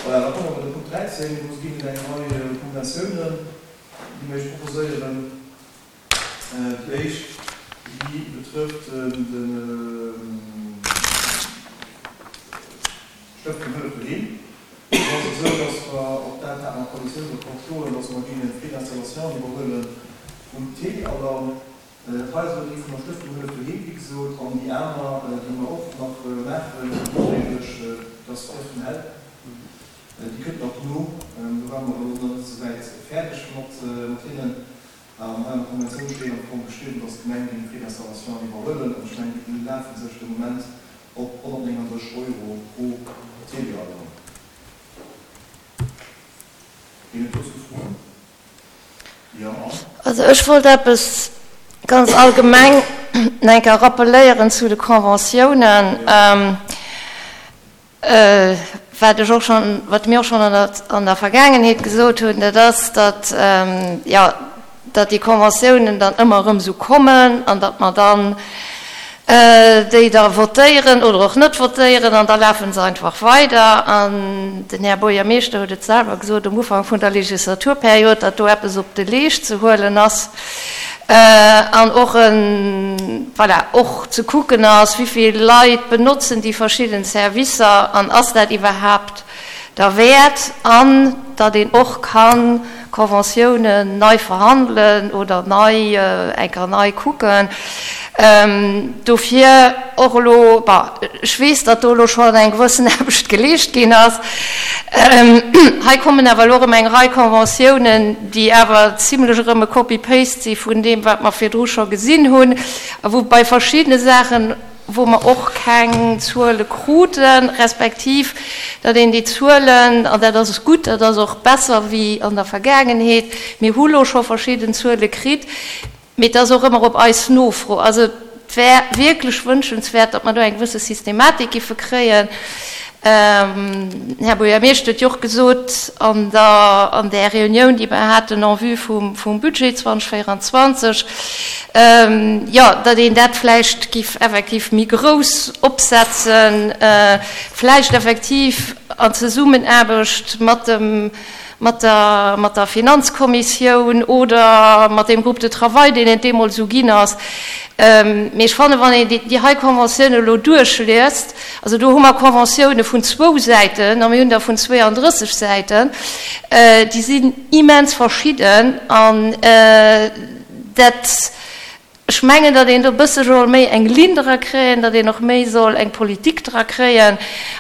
Voilà, da komme mer bei de Punkt 13. Do ginn et eng Rei Konventiounen, déi mir Iech proposéieren. Déi éischt, déi betrëfft de Stëftung Hëllef Doheem. Do ass et esou, dass mer, och dat hat mer am Koalitiounsaccord stoen, dass mer géingen d'Frais d'installation iwwerhuele vum Téléalarm. Dat hei ass elo déi vun der Stëftung Hëllef Doheem, wéi gesot, an déi aner, déi mer och nach maachen, nodréiglech, dat ass d'Stëftung Help. Déi kënnt nach no. Do ware mer elo nach net esou wäit fäerdeg mat hinnen. An hei an der Konventioun steet am Fong geschriwwen, dass d'Gemeng géing d'Frais d'installation iwwerhuelen. An ech mengen, déi belafe sech de Moment op 139 Euro pro Téléalarm. Ginn et dozou Froen? Jo, Anne? Also ech wollt eppes ganz allgemeng nach eng Kéier rappeléieren zu de Conventiounen. Wat ech och schonn, wat mir och schonn an der, an der Vergaangenheet gesot hunn, dat ass, datt, jo, datt déi Conventiounen dann ëmmer erëm esou kommen an datt mer dann déi da votéieren oder och net votéieren an da lafe se einfach weider. An den Här Buergermeeschter huet et selwer gesot um Ufank vun der Legislaturperiod, datt do eppes op de Leescht ze huelen ass. An och en, voilà, och ze kucken ass, wéi vill Leit benotzen déi verschidden Servicer an ass dat iwwerhaapt derwäert, an datt een och ka Conventiounen nei verhandelen oder nei, eng Kéier nei kucken. Dofir och elo, bon, ech weess, datt do elo schonn eng gewëssen Aarbecht geleescht ginn ass. Hei kommen awer elo erëm eng Rei Conventiounen, déi awer zimlech erëm e Copy-paste si vun deem, wat mer virdru scho gesinn hunn, a wou bei verschiddene Saachen, wou mer och keng Zuele kruten, respektiv datt een déi Zuelen, an dat ass gutt, dat ass och besser wéi an der Vergaangenheet, mir hu lo scho verschidden Zuele kritt, Mee et ass och ëmmer op eis Nofro. Also et wär wierklech wënschenswäert, datt mer do eng gewësse Systematik giffe kréien. Den Här Buergermeeschter huet jo och gesot an der, an där Reunioun, déi mer haten en vue vum, vum Budget 2024, jo, datt een dat vläicht giff effektiv méi grouss opsetzen, vläicht effektiv an Zesummenaarbecht mat dem, mat der, mat der Finanzkommissioun oder mat deem Groupe de travail, deen et deemools esou ginn ass. Mee ech fannen, wann een déi hei Conventioun elo duerchliest, also do hu mer Conventioune vun zwou Säiten a mir hunn der vun 32 Säiten, déi sinn immens verschidden an dat, Ech mengen, datt een do e bësse soll méi eng Linn dra kréien, datt een och méi soll eng Politik dra kréien.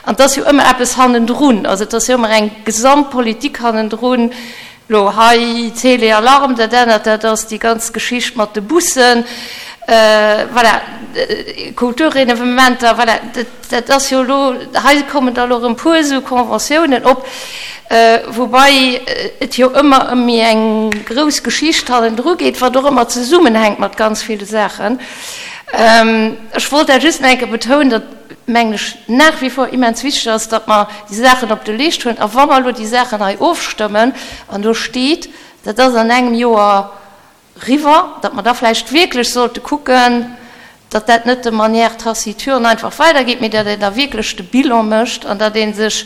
An et ass jo ëmmer eppes hannendrun, also et ass jo ëmmer eng Gesamtpolitik hannendrun. Elo hei Télé-Alarme, dat anert, dat ass déi ganz Geschicht mat de Bussen, voilà, Kulturevenementer, voilà. Dat ass jo elo, hei kommen da elo erëm e puer esou Conventiounen op, woubai et jo ëmmer ëm méi eng grouss Geschicht hannendru geet, wat och ëmmer zesummenhänkt mat ganz ville Saachen. Ech wollt dat just nach eng Kéier betounen, datt, mengen ech, nach wie vor immens wichteg ass, datt mer déi Saachen op de Leescht huelen. A wa mer elo déi Saachen hei ofstëmmen, an do steet, dat ass an engem Joer, Riwwer, datt mer da vläicht wierklech sollte kucken, datt dat net de manière taciturne einfach weidergeet, mee datt een da wierklech de Bilan mécht an datt ee sech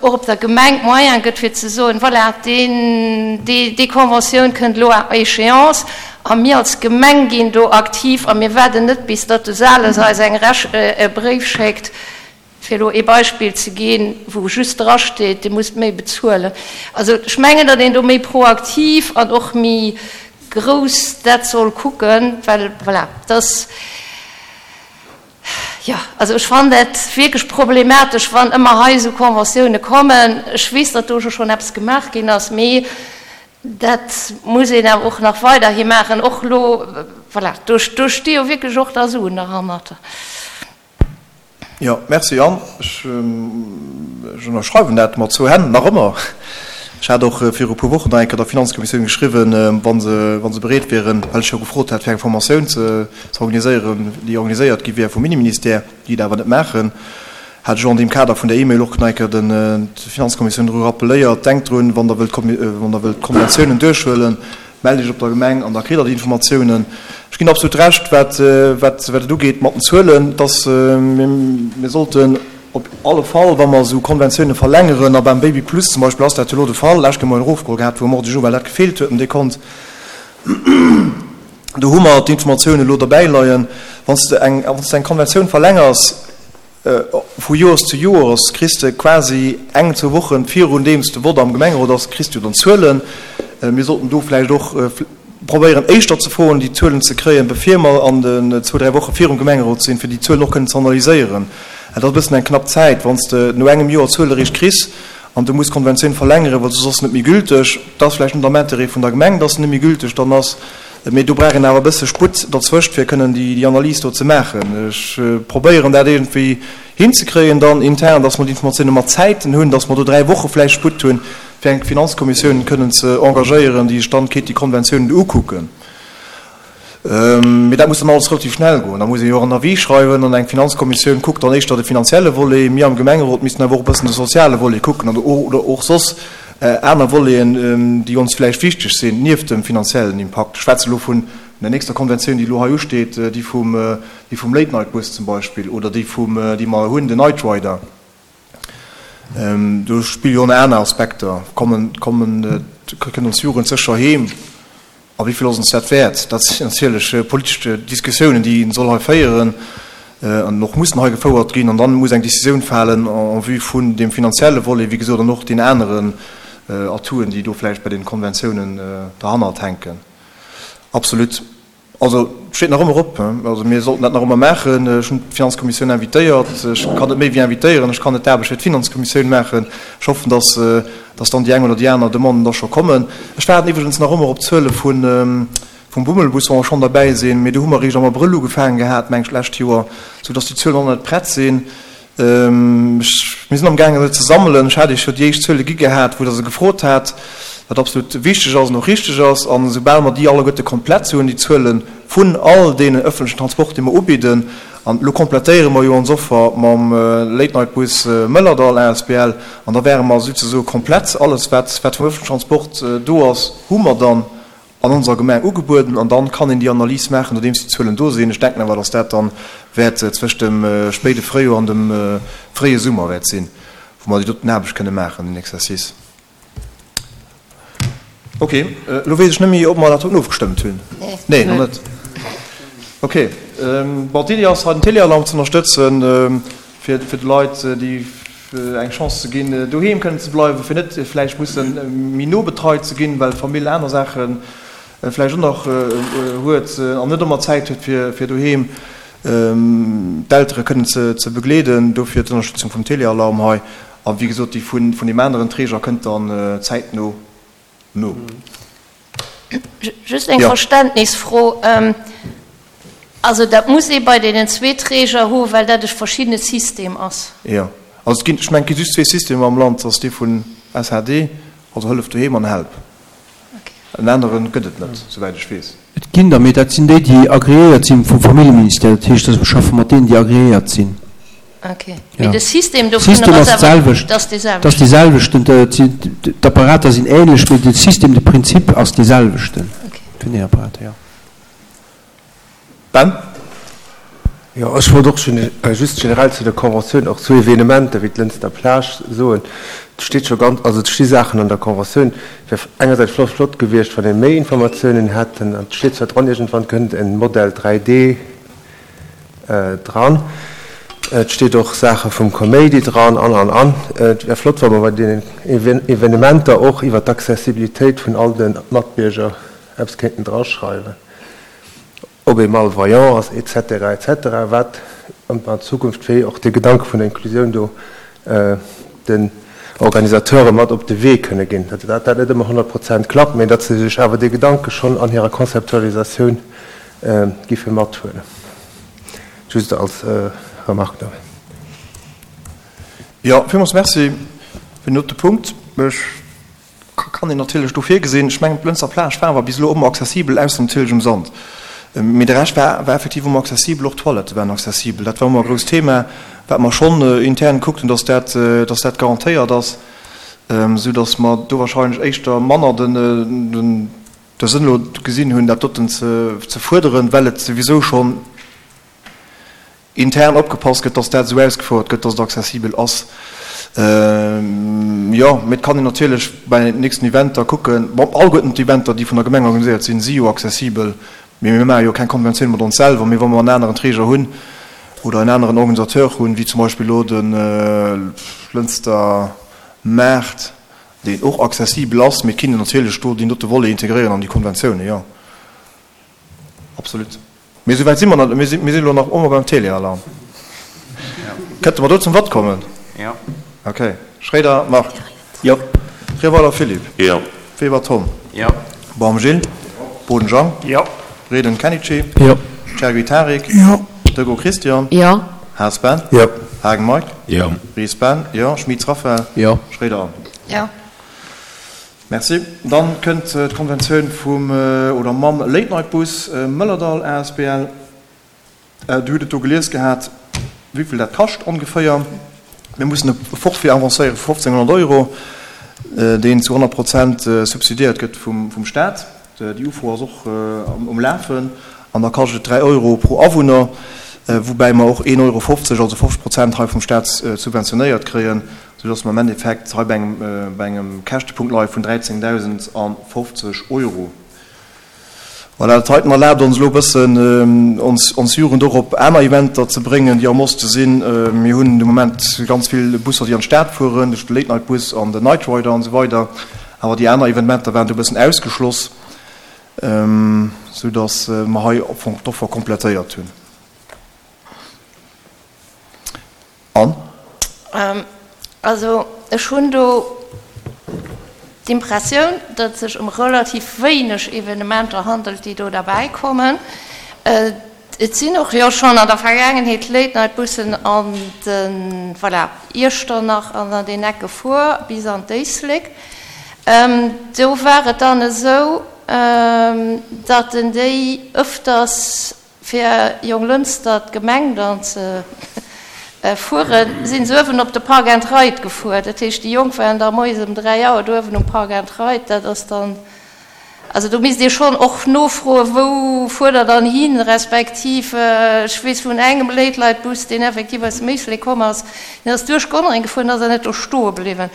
och op der Gemeng d'Moyene gëtt, fir ze soen, voilà, deen, déi, déi Conventioun kënnt elo à échéance a mir als Gemeng ginn do aktiv a mir waarden net, bis datt de Sales eis eng Rech, e Bréif schéckt, Fir elo ee Beispill ze ginn, wou just drasteet, Dir musst méi bezuelen. Also ech mengen, datt een do méi proaktiv an och méi grouss dat soll kucken, well voilà, et ass, jo, also ech fannen dat wierklech problematesch, wann ëmmer hei esou Conventioune kommen. Ech weess, datt do jo schonn eppes gemaach ginn ass, mee dat muss een awer och nach weiderhi maachen, och elo, voilà, do sti jo wierklech och da Suen derhannert. Jo, merci Anne. Ech ënnerschreiwen dat mat zwou Hänn, nach ëmmer. Ech hat och viru e puer Wochen nach eng Kéier der Finanzkommissioun geschriwwen, wa se, wa se bereet wieren, well ech jo gefrot hat, fir eng Formatioun ze organiséieren, déi organiséiert gi wär vum Inneministère, déi et awer net maachen, hat ech och an deem Kader vun der E-Mail och nach eng Kéier den, d'Finanzkommissioun dru rappeléiert, Denkt drun, wann Der wëllt, wann Der wëllt d'Konventiounen duerchhuelen, Mellt Iech op der Gemeng an da kritt Der déi Informatiounen. Ech ginn absolut Recht, wat, wat, wat et ugeet mat den Zuelen, dass mir, mir sollten. Op alle Fall, wa mer esou Konventiounen verlängeren, a beim Baby Plus zum Beispill ass dat jo elo de Fall, lescht Kéier hu mer en erofgeholl gehat vum Ordre du jour, well dat gefeelt huet, den Dekont, do hu mer d'Informatiounen elo derbäi leien, wann s de eng, wann s de eng Konventioun verlängers vu Joers zu Joers, kriss de quasi eng, zwou Wochen virun deem s de Vott am Gemengerot ass, kriss du dann d'Zuelen. Mir sollten do vläicht och probéieren éischter ze froen, déi Zuelen ze kréien, bevir mer an den zwou, dräi Woche virum Gemengerot sinn, fir déi Zuelen och kënnen ze analyséieren. Dat ass e bëssen eng knapp Zäit, wann s de no engem Joer d'Zuele eréischt kriss an du muss d'Konventioun verlängeren, well soss ass se net méi gülteg. Dat ass vläicht net am Intérêt vun der Gemeng, dass se net méi gülteg dann ass, mee do brauch een awer e bësse Sputt derzwëscht, fir kënnen déi Analys do ze maachen. Ech probéieren dat iergendwéi hinzekréien dann intern, dass mer déi Informatioune mat Zäiten hunn, dass mer do dräi Woche vläicht Sputt hunn, fir eng Finanzkommissioun kënnen ze engagéieren, déi sech dann kéint déi Konventiounen ukucken. Mee dat muss dann alles relativ schnell goen. Da muss ee jo och en Avis schreiwen an eng Finanzkommissioun kuckt dann éischter de finanzielle Volet. Mir am Gemengerot missten awer och e bëssen de soziale Volet kucken an oder och soss aner Voleten, déi ons vläicht wichteg sinn, nieft dem finanziellen Impakt. Ech schwätze elo vun der nächster Konventioun, déi elo hei usteet, déi vum, déi vum Late-Night-Bus zum Beispill oder déi vum, déi mer hunn, den Night Rider. Do spille jo och nach aner Aspekter. Kommen, kommen, kënnt ons Jugend sécher heem? A wéi vill ass ons dat wäert? Dat sinn natierlech politesch Diskussiounen, déi een soll hei féieren an och mussen hei gefouert ginn. An dann muss eng Décisioun falen en vue vun deem finanzielle Volet, wéi gesot, an och deenen aneren Atouen, déi do vläicht bei deene Konventiounen derhannert hänken. Absolut. Also, et steet nach ëmmer op. Also, mir sollten dat nach ëmmer maachen. Ech hunn d'Finanzkommissioun invitéiert. Ech kann net méi wéi invitéieren. Ech kann net d'Aarbecht fir d'Finanzkommissioun maachen. Ech hoffen, dass, dass dann déi eng oder déi aner Demanden da scho kommen. Ech waarden iwwregens nach ëmmer op d'Zuele vun, vum Bummelbus, wa mer schonn derbäi sinn. Mee do hu mer eréischt am Abrëll ugefaangen gehat, meng ech, d'lescht Joer, soudass déi Zuelen och nach net prett sinn. Mir sinn amgaangen se ze sammelen. Ech hat Iech jo déi éischt Zuele gi gehat, wou Der se gefrot hat, wat absolut wichteg ass an och richteg ass. An esoubal mer déi alleguerte komplett hunn, déi Zuele vun all deenen öffentlechen Transport, déi mer ubidden, an elo komplettéiere mer jo ons Offer mam Late-Night-Bus Mëllerdall asbl, an da wäre mer souzesoe komplett. Alles, wat vum öffentlechen Transport do ass, hu mer dann an onser Gemeng ugebueden an dann kann een déi Analys maachen, nodeems déi Zuelen do sinn. Ech denken awer, dass dat dann wäert zwëscht dem spéide Fréijoer an dem fréie Summer wäert sinn, wou mer déi doten Aarbecht kënne maachen, deen Exercice. Ok, elo weess ech net méi, ob mer dat doten ofgestëmmt hunn. Nee, nach net. Ok, bon, d'Iddi ass, hei den Téléalarm ze ënnerstëtzen, fir de Leit, déi eng Chance ze ginn, doheem kënnen ze bleiwen, fir net vläicht musse méi no betreit ze ginn, well d'Famill aner Saache vläicht och nach huet an net ëmmer Zäit huet, fir doheem d'Eltere kënnen ze begleeden. Dofir d'Ënnerstëtzung vum Telealarm hei. A wéi gesot, déi vun deem aneren Träger kënnt dann zäitno no. Just eng Verständnisfro. Also dat muss ee bei deenen zwee Träger hu well dat e verschiddene System ass? Jo. Also et ginn, ech mengen, et gi just zwee Systemer am Land, dat ass dee vun SHD, also Hëllef Doheem, an Help. En anere gëtt et net, souwäit ech weess. Et ginn der, mee dat sinn déi, déi agreéiert si vum Familljeministère. Dat heescht, dass mir schaffe mat deenen, déi agreéiert sinn. Ok. Mee de System dovunner ass awer, dat ass dee selwechten? Dat ass dee selwechten. D'Apparater sinn ähnlech, mee de System, de Prinzip ass dee selwechten vun den Apparater, jo. Ben? Jo, ech wollt och just generell zu der Conventioun, och zu Evenementer wéi d'Lënster Plage soen, et steet scho ganz, also et sti Saachen an der Conventioun, et wär engersäits vläicht flott gewiescht, wann ee méi Informatiounen hätten, an et steet zwar dran, iergendwann kënnt e Modell 3D dran, et steet och Saache vum Kaméidi dran an, an, an. Et wär flott, wa mer bei deenen Evenementer och iwwert d'Accessibilitéit vun all de Matbierger eppes kéinten draschreiwen. ob ee malvoyant ass, et cetera, et cetera, wat an Zukunft wéi och dee Gedanke vun der Inklusioun do den Organisateure mat op de Wee kënne ginn. Datt dat net ëmmer 100 Prozent klappt, mä datt se sech awer dee Gedanke schonn an hirer Konzeptualisatioun giffe mathuelen. Just als Remarque nëmmen. Jo, villmools Merci fir den dote Punkt. Ech Kann een natierlech do virgesinn. Ech mengen, d'Lënzer Plage war awer bis elo ëmmer accessibel, ausser natierlech um Sand. Mee de Rescht war, war effektiv ëmmer accessibel, och d'Toilette waren accessibel. Dat war ëmmer e grousst Thema, wat mer schonn intern gekuckt hunn, dass dat, dass dat garantéiert ass, esou dass mer do wahrscheinlech éischter manner den, den, de Sënn elo gesinn hunn, dat doten ze, ze fuerderen, well et souwisou schonn. intern opgepasst gëtt, dass dat esou ausgefouert gëtt, dass et accessibel ass. Jo, mee et kann een natierlech bei den nächsten Eventer kucken. Bon, alleguerten d'Eventer, déi vun der Gemeng organiséiert sinn, si jo accessibel. Mee mir maache jo keng Konventioun mat ons selwer. Mee wa mer en aneren Träger hunn oder en aneren Organisateur hunn, wéi zum Beispill elo de Lënster Maart, deen och accessibel ass, mee et kinnt een natierlech do deen dote Volet integréieren an déi Konventiounen, jo. Absolut. Mee esou wäit si mer nach net. Mir sinn elo nach ëmmer beim Telealarm. Kënnte mer do zum Vott kommen? Jo. Okay. Schréider Marc. Jo. Treweiler Philippe. Jo. Weber Tom. Jo. Baum Gilles. Boden Jean. Jo. Redgen Kenichi. Jo. Chergui Tarik. Jo. Dego Christian. Jo. Haas Ben. Jo. Haagen Mike. Jo. Ries Ben. Jo. Schmitz Raphaël. Jo. Schréider Anne. Jo. Merci. Dann kënnt d'Konventioun vum oder mam Late Night Bus Mëllerdall asbl. Dir hutt et do gelies gehat, wéivill dat kascht ongeféier. Mir mussen e Forfait avancéiere vu 1.500 Euro, deen zu 100 Prozent subsidiéiert gëtt vum Staat. Déi Ufro ass och um Lafen an da kascht et 3 Euro pro Awunner, woubäi mer och 1,50 Euro, also 50 Prozent hei vum Staat subventionéiert kréien. Sou dass mer am Endeffekt hei bei engem, bei engem Käschtepunkt leie vun 13.050 Euro. Voilà, dat heiten erlaabt ons elo e bëssen, ons, ons Jugend och op aner Eventer ze bréngen, déi am Oste sinn. Mir hunn de Moment ganz vill Busser, déi an d'Stad fueren, duerch de Late-Night-Bus an den Night Rider an esou weider. Awer déi aner Evenementer waren do e bëssen ausgeschloss, sou dass mer hei am Fong d'Offer komplettéiert hunn. An? Also ech hunn do d'Impressioun, datt et sech ëm relativ wéineg Evenementer handelt, déi do derbäi kommen. Et sinn och jo schonn an der Vergaangenheet Late-Night-Bussen an de, voilà, Iechternach an an deen Eck gefuer bis an d'Éislek. Do war et dann esou, datt en déi ëfters Fir Jonglënster d'Gemeng dann ze fueren, sinn se uewen op de Park and Ride gefuer. Dat heescht, déi Jonk waren da moies ëm 3 Auer do uewen um Park and Ride. Dat ass dann, also do misst ee schonn och nofroen, wou fuert der dann hin, respektiv ech weess vun engem Late-Light-Bus, deen effektiv aus dem Éislek komm ass, deen ass duerch Gonnereng gefuer an ass dann net do stoe bliwwen.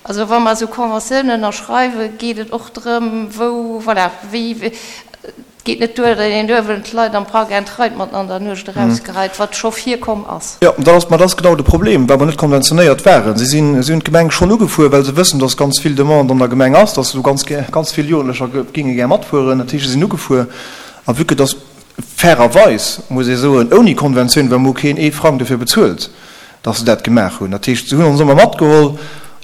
Also wa mer esou Conventiounen ënnerschreiwen, geet et och drëm, wou, voilà, wéi. Et geet net duer, datt een uewen d'Leit am Park and Ride matten an der Nuecht erausgeheit, wat scho virkomm ass. Jo, dat ass, ma dat ass genau de Problem, well mer net konventionéiert waren. Si sinn, si hunn d'Gemeng schonn ugefuer, well se wëssen, datt ganz vill Demande an der Gemeng ass, datt do ganz gär, ganz vill Jugendlecher géinge gär matfueren. Dat heescht, se sinn ugefuer. A vue que datt fairerweis, muss ee soen, ouni Konventioun, well mer hu keen ee Frang dofir bezuelt, dass se dat gemaach hunn. Dat heescht, se hunn ons ëmmer matgeholl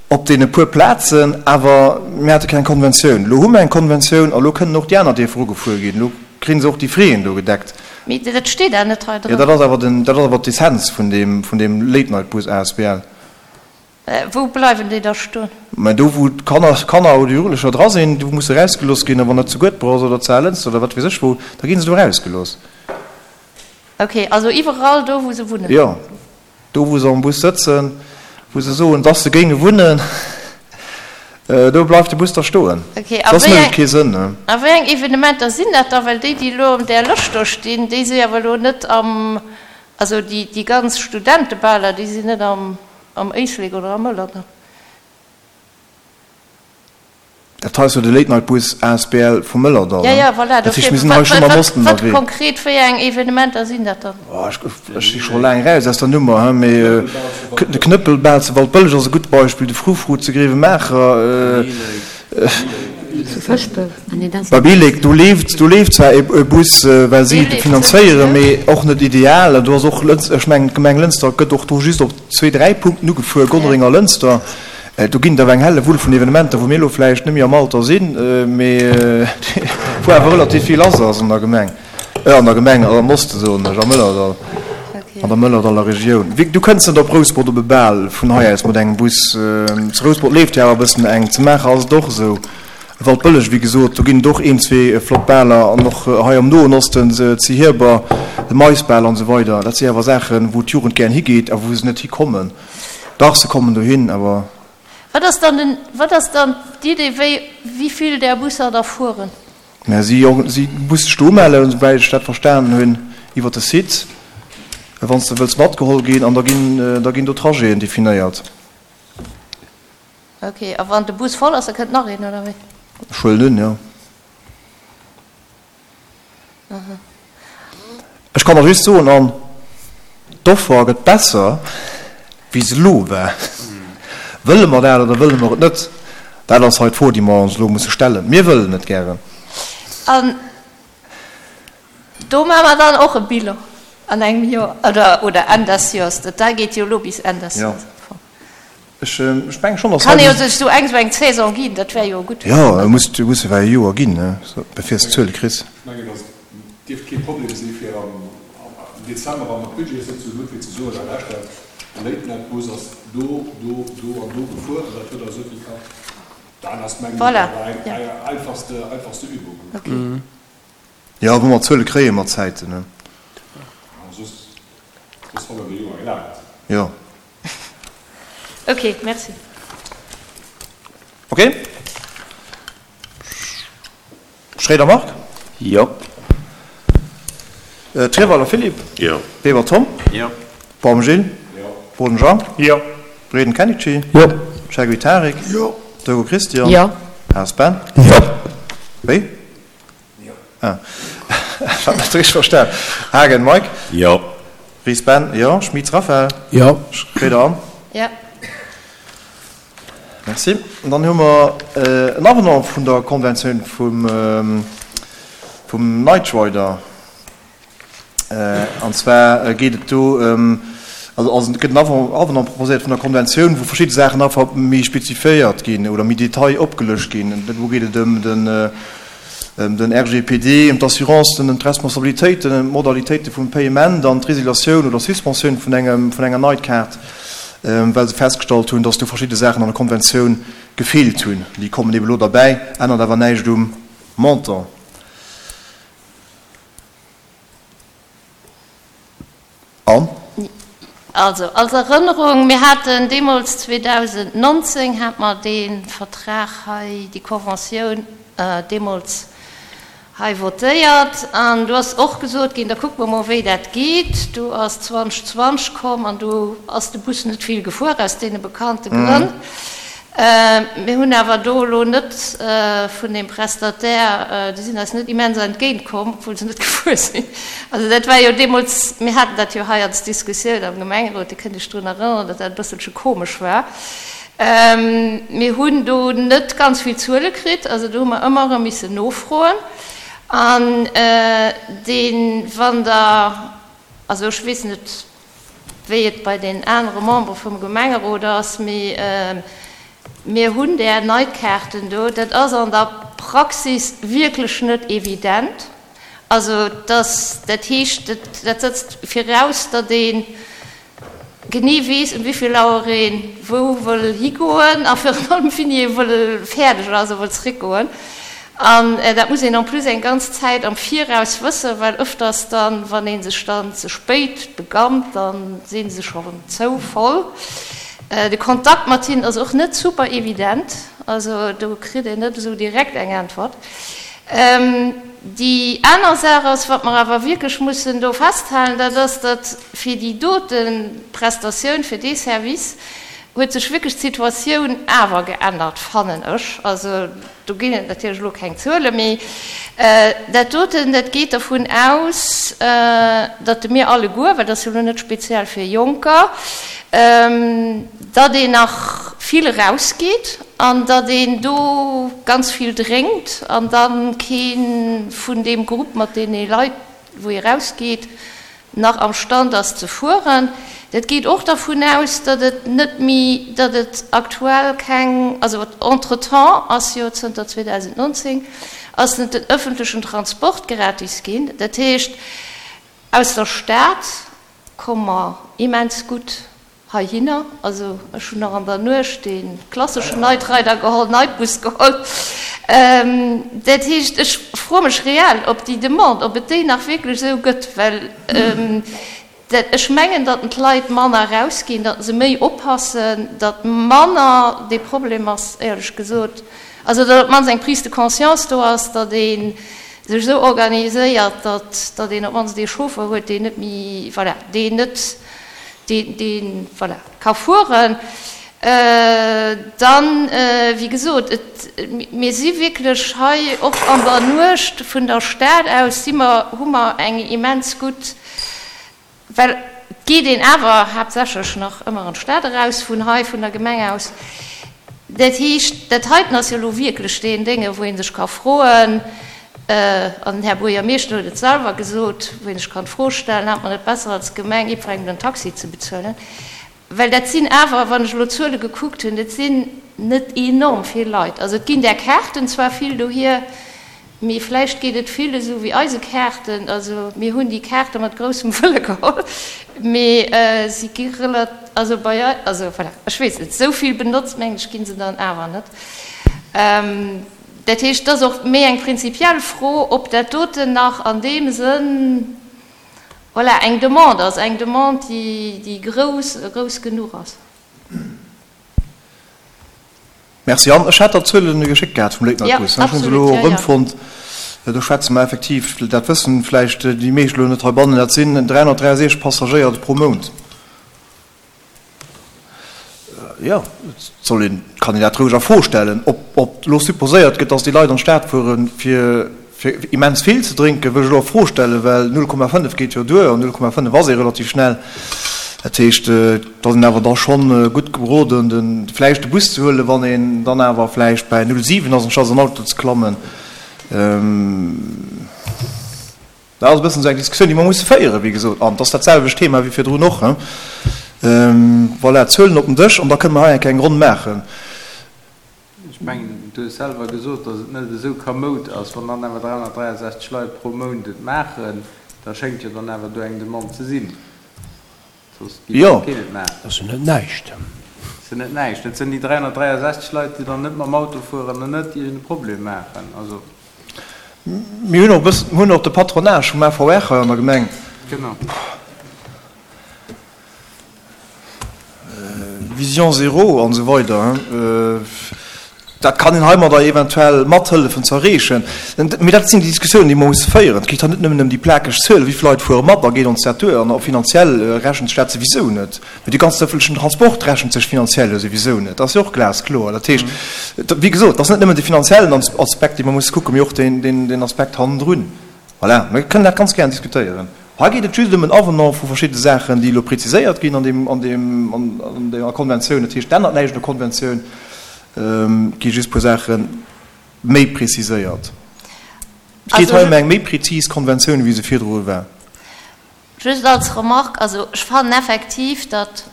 op deene puer Plazen, awer mir hate keng Konventioun. Elo hu mer eng Konventioun a lo kënnen och déi aner Dierfer ugefuer ginn. Elo kréie se och déi Fräen do gedeckt. Mee dat steet awer net hei dran. Jo, dat ass awer den, dat ass awer d'Essenz vun deem, vun deem Late-Night-Bus asbl. Wou bleiwen déi da stoen? Mä do, wou d'Kanner, Kanner oder Jugendlecher dra sinn, do musse erausgelooss ginn. A wann dat zu Guedber ass oder zu Alënster oder wat weess ech wou, da gi se do erausgelooss. Ok, also iwwerall do wou se wunnen? Jo, do wou se am Bus sëtzen, wou se soen, dass se géinge wunnen, do bleift de Bus da stoen. Ok, a Soss mécht et kee Sënn. A wéi eng Evenementer sinn dat da? Well déi, déi elo an där Lëscht do stinn, déi si awer elo net am, also déi, déi ganz Studentebaler, déi sinn net am, am Éislek oder am Mëllerdall. Dat hei ass jo de Late Night Bus asbl vum Mëllerdall, Ja, ja, voilà, dat heescht, mir sinn hei schonn am Osten Wat ënnerwee. konkret, wéi eng Evenementer sinn dat dann? Oh, ech, ech si scho laang eraus aus der Nummer, he, mee de Knëppelbal zu Waldbëlleg ass e gutt Beispill, de Frufru zu Grevenmacher, bei Billek, do leeft, do leeft zwar e Bus, well si et finanzéieren, mee och net ideal. An do ass och Lëns, ech mengen, d'Gemeng Lënster gëtt och do just op zwee, dräi Punkten ugefuer, Gonnereng a Lënster. Do ginn et awer eng helle Wull vun Evenementer, wou mir elo vläicht net méi am Alter sinn, mee wou awer relativ vill lass ass an der Gemeng, an der Gemeng, am Oste soen ech, am Mëllerdall, an der Mëllerdaller Regioun. Wéi, du kënns net op Rouspert op e Bal vun hei aus mat engem Bus. Zu Rouspert leeft jo awer e bëssen eng, zu Maacher ass et och esou. Waldbëlleg, wéi gesot, do ginn et och een, zwee flott Baler an och hei am Noen Osten, zu Hierber, de Maisbal an esou weider. Dat si awer Saachen, wou d'Jugend gären higeet a wou se net hikommen. Dach, se kommen dohin, awer. Wat ass dann den, wat ass dann d'Idee, wéi, wéi vill där Busser da fueren? Mä si, si muss sech do umellen, souwäit ech dat verstanen hunn, iwwer de Site. Wann s de wëlls matgeholl ginn, an da ginn, da ginn do Trajeten definéiert. Ok, a wann de Bus voll ass, da kënnt nach een, oder wéi? Ech huelen un, jo. Ech kann der just soen, an d'Offer gëtt besser, wéi se elo war. Wëlle mer dat oder wëlle mer et net? Dat ass hei d'Fro, déi mer ons elo musse stellen. Mir wëllen et gären. An do maache mer dann och e Bilan an engem Joer oder Enn des Joers. Dat geet jo elo bis Enn des Joers. Ech mengen schonn, dass Kann ee jo sech esou eng esou eng Saison ginn, dat wär jo gutt. Jo, et muss muss ewell e Joer ginn, bevir s de Zuele kriss. Ech mengen, dass et dierft kee Problem si fir am Dezember, wa mer d'Budgetssëtzung hunn, fir ze soen, hei lauschtert, de Late-Night-Bus ass do, do, do an do gefuer an dat huet eis esou vill kascht. Dat ass, mengen ech, awer eng einfachste, einfachste Übung. Jo, wou mer Zuele kréie mat Zäiten, ne? Soss, soss hannert e Joer gelaangt. Jo. Ok, merci. Ok. Schréider Marc? Jo. Trierweiler Philippe? Jo. Weber Tom? Jo. Baum Gilles? Jo. Boden Jean? Jo. Breden Kenichi? Jo. Cheguy Tarik? Jo. Dego Christian? Jo. Haas Ben? Jo. Wéi? Ah. Ech hat net richteg verstan. Haagen Mike? Jo. Ries Ben? Jo. Schmitz Raphaël? Jo. Schroeder Anne? Jo. Merci. An dann hu mer en Avenant vun der Konventioun vum, vum Night Rider. An zwar geet et do ëm, also ass et gëtt en Avenant proposéiert vun der Konventioun, wou verschidde Saachen einfach méi spezifiéiert ginn oder méi Detail opgelëscht ginn. Do geet et ëm den, ëm den RGPD, ëm d'Assurancen, ëm d'Responsabilitéiten, ëm d'Modalitéite vum Payement an d'Résiliatioun oder Suspensioun vun engem, vun enger Nightcard, well se festgestallt hunn, dass do verschidde Saachen an der Konventioun gefeelt hunn. Déi kommen ebe lo derbäi, ännert awer näischt um Montant. An? Also, als Erënnerung, Mir haten deemools, 2019 hate mer dee Vertrag hei, déi Conventioun deemools hei votéiert. An do ass och gesot ginn, da kucke mer mol, wéi dat geet. Du ass 2020 komm an du ass de Bus net vill gefuer, aus deene bekannte Grënn. Mir hunn awer do elo net vun deem Prestataire, déi sinn eis net immens entgéint komm, obwuel se net gefuer sinn. Also dat war jo deemools, mir haten dat jo hei als Diskussioun am Gemengerot, Dir kënnt Iech drun erënneren, datt dat e bësselche komesch war. Mir hunn do net ganz vill Zuele kritt, also do hu mer ëmmer erëm missen nofroen. An dee wann Der, also ech weess net, wéi et bei den anere Membere vum Gemengerot ass, mee mir hunn där Nightkaarten do. Dat ass an der Praxis wierklech net evident. Also dass, dat heescht, dat setzt viraus, datt ee genee weess, ëm wéi vill Auer ee wou wëll higoen a virun allem wéini ee wëll fäerdeg ass a wëll zréckgoen. An dat muss een en plus eng ganz Zäit am Viraus wëssen, well öfters dann, wann ee sech dann ze spéit begannt, da si se schonn zou voll. De Kontakt mat hinnen ass och net super evident, also do kritt een net esou direkt eng Äntwert. Déi aner Saach ass, wat mer awer wierklech mussen do festhalen, dat ass, datt fir déi dote Prestatioun, fir dee Service huet sech wierklech d'Situatioun awer geännert, fannen ech. Also Do ginn et natierlech elo keng Zuelen, mee dat doten, dat geet dervun aus, datt mir alleguer, well dat ass jo elo net speziell fir Jonker, datt een nach vill erausgeet an datt een do ganz vill drénkt an da kee vun deem Grupp mat deene Leit, wou ee rausgeet, nach am Stand ass ze fueren. Dat geet och dervun aus, datt et net méi, datt et aktuell keng, also entretemps ass jo zënter 2019 ass net den öffentlechen Transport gratis ginn. Dat heescht, aus der Stad komme mer immens gutt Heihinner, also ech hunn nach an der Nuecht dee klasseschen Night Rider geholl, Nightbus geholl. Dat heescht, ech froe mech reell, ob déi Demande, ob et déi nach wierklech esou gëtt, well dat, ech mengen, datt d'Leit manner erausginn, datt se méi oppassen, datt manner dee Problem ass, éierlech gesot, also datt op d'mannst eng Prise de conscience do ass, datt ee. Sech esou organiséiert, datt, datt een op d'mannst ee Chauffer huet, deen net méi, voilà, deen net, deen, deen, voilà, ka fueren. Dann, wéi gesot, et, mir si wierklech hei och an der Nuecht vun der Stad aus si mer, hu mer eng immens gutt, Well et geet een awer haaptsächlech nach ëmmer an d'Stad eraus vun hei, vun der Gemeng aus. Dat heescht, dat heiten ass jo elo wierklech deen Dénge, wou ee sech ka froen, an den Här Buergermeeschter huet et selwer gesot, wou ee sech kann d'Fro stellen, Hat mer net besser als Gemeng jiddwerengem den Taxi ze bezuelen? Well dat sinn awer, wann ech elo d'Zuele gekuckt hunn, dat sinn net enorm vill Leit. Also et ginn där Kaarten zwar vill dohier, mee vläicht geet et vill esou wéi eise Kaarten. Also mir hunn déi Kaarte mat groussem Wëlle geholl, mee si gi relat, also bei eis, also voilà, ech weess net, esou vill benotzt, mengen ech, gi se dann awer net. Dat heescht, et ass och méi eng prinzipiell Fro, ob dat doten nach an deem Sënn, Voilà, eng Demande ass eng Demande, déi grouss, grouss genuch ass. Merci. An ech hat der d'Zuelen geschéckt gehat vum Late-Night-Bus. Ech hu se elo erëmfonnt. Do schwätze mer effektiv, dat wëssen vläicht déi meescht elo net heibannen, dat sinn 363 Passagéier pro Mount. Jo, et soll een, kann een dat roueg a Fro stellen. Ob, ob elo supposéiert gëtt, datt déi Leit an d'Stad fueren, fir, fir immens vill ze drénken, wëll ech elo a Fro stellen, well 0,5 geet jo duer an 0,5 ass ee relativ schnell. Dat heescht, et ass een awer da schonn gutt geroden, de vläicht de Bus ze huelen, wann een dann awer vläicht bäi 0,7 ass, anstatt an den Auto ze klammen. Dat ass e bëssen esou eng Diskussioun, déi mer musse féieren, wéi gesot. An et ass dat selwecht Thema wéi virdrun och. Voilà, d'Zuelen op den Dësch an da kënne mer hei eng Kéier eng Ronn maachen. Ech mengen, du hues selwer gesot, datt et net esou kamoud ass. Wann dann awer 363 Leit pro Mount et maachen, da schéngt jo dann awer do eng Demande ze sinn. Soss géif keen et maachen. Dat ass jo net näischt. Dat ass jo net näischt. Dat sinn déi 363 Leit, déi dann net mam Auto fueren an net iergend e Problem maachen. Also. Mir hunn och e bëssen, mir hunn och de Patronage vum AVR hei an der Gemeng. Genau. Vision zéro an esou weider. Dat kann een heimadder eventuell mathëllefen ze erreechen. Mee dat sinn déi Diskussiounen, déi mer musse féieren. Et geet hei net nëmmen ëm déi plakeg Zuelen, wéi vill Leit fuere mat a geet ons dat duer. An och finanziell rechent sech dat souwisou net. Mee de ganzen ëffentlechen Transport rechent sech finanziell jo souwisou net. Dat ass jo och glaskloer. Dat heescht, wéi gesot, et ass net nëmmen de finanziellen Aspekt, dee mer musse kucken, mee och deen Aspekt hannendrun. Voilà, mir kënnen dat ganz gären diskutéieren. Hei geet et just ëm en Avenant vu verschidde Saachen, déi elo preziséiert ginn an deem, an deem, an deeër Konventioun. Dat heescht, et ännert näischt un der Konventioun, et gi just e puer Saache méi preziséiert. Et geet hei ëm eng méi prezis Konventioun, wéi se virdru war. Just als Remarque, also ech fannen effektiv, datt,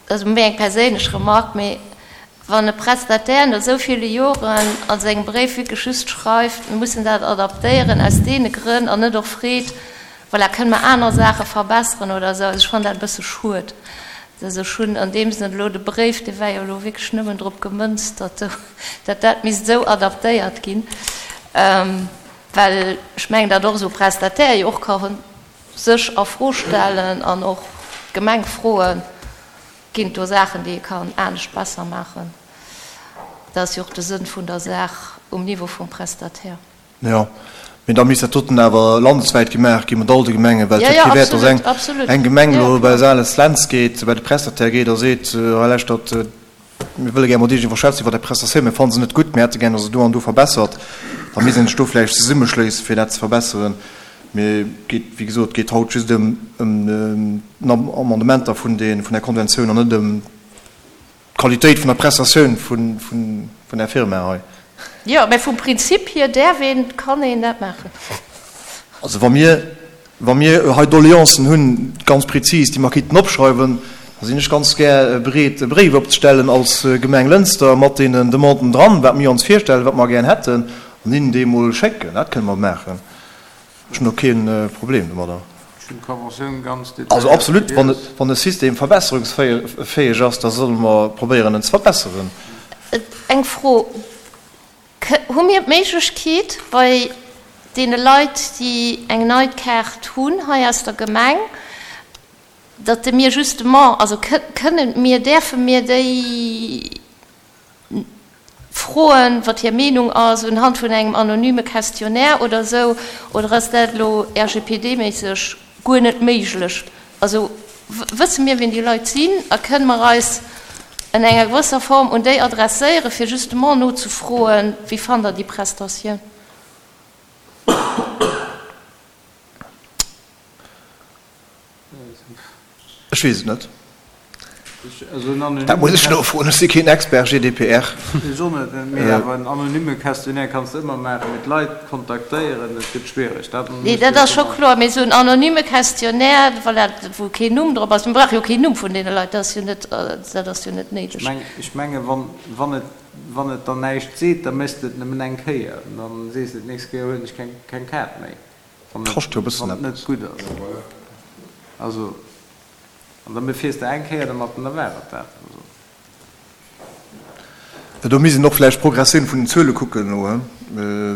Dat ass méi eng perséinlech Remarque, mee wann e Prestataire no esou ville Joren a sengem Bréif wierklech just schreift, mir mussen dat adaptéieren aus deene Grënn an net och freet, voilà, kënne mer aner Saache verbesseren oder esou, also ech fannen dat e bësse schued. Also ech hunn an deem Sënn elo de Bréif, dee war jo elo wierklech nëmmen drop gemënzt, datt dat dat misst esou adaptéiert ginn, well ech mengen, datt och esou e Prestataire jo och ka sech a Fro stellen an och d'Gemeng froen, ginn et do Saachen, déi ee kann anescht besser maachen? Dat ass jo och de Sënn vun der Saach um Niveau vum Prestataire. Jo, mee da misst dat doten awer landeswäit gemaach gi mat all de Gemengen, well et huet kee Wäert, datt eng Gemeng elo bei Sales-Lentz geet, bei de Prestataire geet a seet, hei lauschtert, Mir wëlle gär mat Iech iwwer schwätzen iwwer Är Prestatioun. Mir fanne se net gutt. Mir hätte gär, datt se do an do verbessert. Da misst een sech do vläicht zesummeschléissen, fir dat ze verbesseren. Mee et geet, wéi gesot, et geet haut just ëm d'Amendementer vun där Konventioun an net ëm d'Qualitéit vun der Prestatioun vun där Firma hei. Jo, mä vum Prinzip hier däerf een, kann een dat maachen. Also wa mir Wa mir hei Doleancen hunn, ganz prezis, déi mer kéinten opschreiwen, da sinn ech ganz gär bereet, e Bréif opzestellen als Gemeng Lënster mat deenen Demanden dran, wat mir ons virstellen, wat mer gär hätten, an hinnen déi emol schécken. Dat kënne mer maachen. Ech hunn do kee Problem domadder. Ech hunn d'Conventioun ganz detailléiert Also absolut, wann e System verbesserungsfäeg ass, da solle mer probéieren, en ze verbesseren. Eng Fro, Hu mir d'Méiglechkeet, bei deene Leit, déi eng nei Kaart hunn hei aus der Gemeng, datt de mir justement, also kënnen mir, däerfe mir déi froen, wat hir Meenung ass, unhand vun engem anonyme Questionnaire oder esou, oder ass dat elo RGPD-méisseg guer net méiglech? Also wësse mir, wien déi Leit sinn a kënne mer eis an enger gewësser Form un déi adresséieren, fir justement nozefroen, wéi fannt Der déi Prestatioun? Ech weess et net. Dat muss ech nofroen, ech si keen Expert GDPR. Ech och net, mee awer en anonyme Questionnaire kanns de ëmmer maachen, mee d'Leit kontaktéieren, dat gëtt schwiereg. Dat Nee, dat ass scho kloer, mee esou en anonyme Questionnaire, voilà, wou keen Numm drop ass, mir brauche jo keen Numm vun deene Leit, dat ass jo net, dat ass jo net néideg. Ech menge wann et, wann et der näischt seet, da méchs de et nëmmen eng Kéier, an da sees de d'nächst Kéier huelen ech keng Kaart méi. Wann Kascht jo e bëssen et net gutt ass. Also, an da befiers de eng Kéier dermat an da war et dat. Also. Do misst een och vläicht d'Progressioun vun den Zuele kucken elo, he.